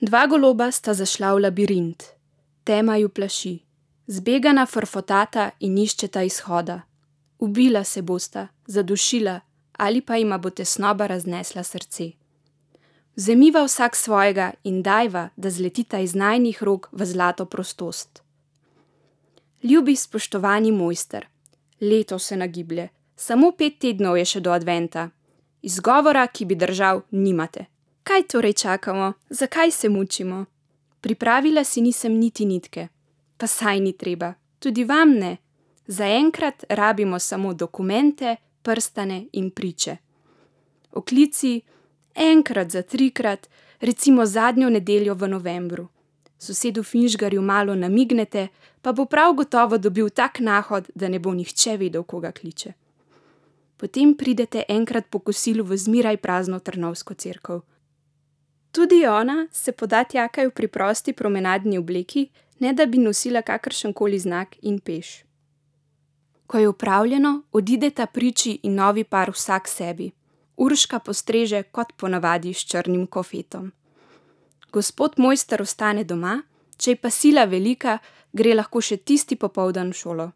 Dva goloba sta zašla v labirint, tema ju plaši, zbegana frfotata in iščeta izhoda. Ubila se bosta, zadušila ali pa jima bo tesnoba raznesla srce. Vzemiva vsak svojega in dajva, da zletita iz najinih rok v zlato prostost. Ljubi, spoštovani mojster, leto se nagiblje, samo 5 tednov je še do adventa. Izgovora, ki bi držal, nimate. Kaj torej čakamo? Zakaj se mučimo? Pripravila si nisem niti nitke. Pa saj ni treba, tudi vam ne. Zaenkrat rabimo samo dokumente, prstane in priče. Oklici, enkrat za 3-krat, recimo zadnjo nedeljo v novembru. Sosedu Finžgarju malo namignete, pa bo prav gotovo dobil tak nahod, da ne bo nihče vedel, koga kliče. Potem pridete enkrat po kosilu v zmeraj prazno Trnovsko cerkev. Tudi ona se poda tjakaj v preprosti promenadni obleki, ne da bi nosila kakršenkoli znak in peš. Ko je opravljeno, odideta priči in novi par vsak sebi. Urška postreže kot ponavadi s črnim kofetom. Gospod mojster ostane doma, če je pa sila velika, gre lahko še tisti popoldan v šolo.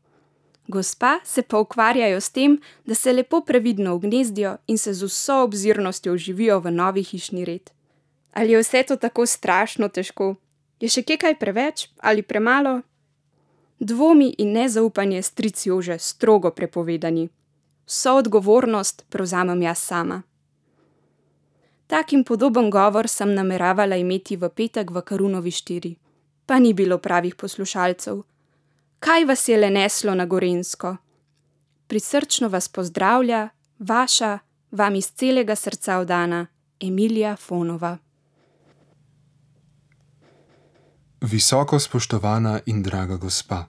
Gospa se pa ukvarjajo s tem, da se lepo previdno ugnezdijo in se z vso obzirnostjo vživijo v novi hišni red. Ali je vse to tako strašno težko? Je še kje kaj preveč ali premalo? Dvomi in nezaupanje stric Jože strogo prepovedani. Vso odgovornost prevzamem jaz sama. Tak in podoben govor sem nameravala imeti v petek v Karunovi 4. Pa ni bilo pravih poslušalcev. Kaj vas je le neslo na Gorenjsko? Prisrčno vas pozdravlja vaša, vam iz celega srca vdana Emilija Fonova. Visoko spoštovana in draga gospa.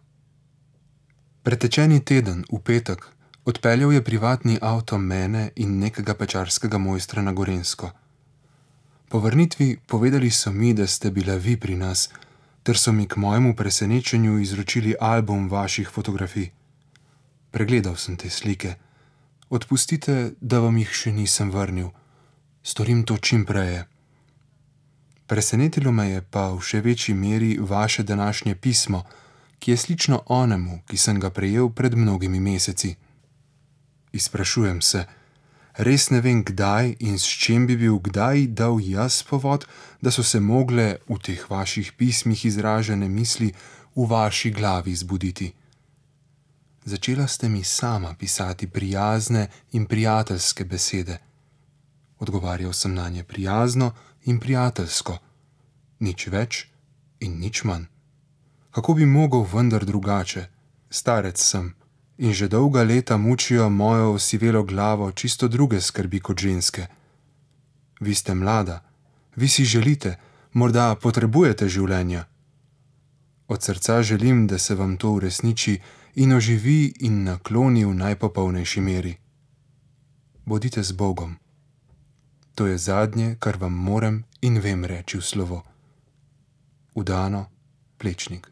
Pretečeni teden, v petek, odpeljal je privatni avto mene in nekega pečarskega mojstra na Gorenjsko. Po vrnitvi povedali so mi, da ste bila vi pri nas, ter so mi k mojemu presenečenju izročili album vaših fotografij. Pregledal sem te slike. Odpustite, da vam jih še nisem vrnil. Storim to čim prej. Presenetilo me je pa v še večji meri vaše današnje pismo, ki je slično onemu, ki sem ga prejel pred mnogimi meseci. Izprašujem se, res ne vem kdaj in s čem bi bil kdaj dal jaz povod, da so se mogle v teh vaših pismih izražene misli v vaši glavi zbuditi. Začela ste mi sama pisati prijazne in prijateljske besede. Odgovarjal sem nanje prijazno in prijateljsko. Nič več in nič manj. Kako bi mogel vendar drugače? Starec sem in že dolga leta mučijo mojo osivelo glavo čisto druge skrbi kot ženske. Vi ste mlada, vi si želite, morda potrebujete življenja. Od srca želim, da se vam to uresniči in oživi in nakloni v najpopolnejši meri. Bodite z Bogom. To je zadnje, kar vam morem in vem reči v slovo. Vdano, Plečnik.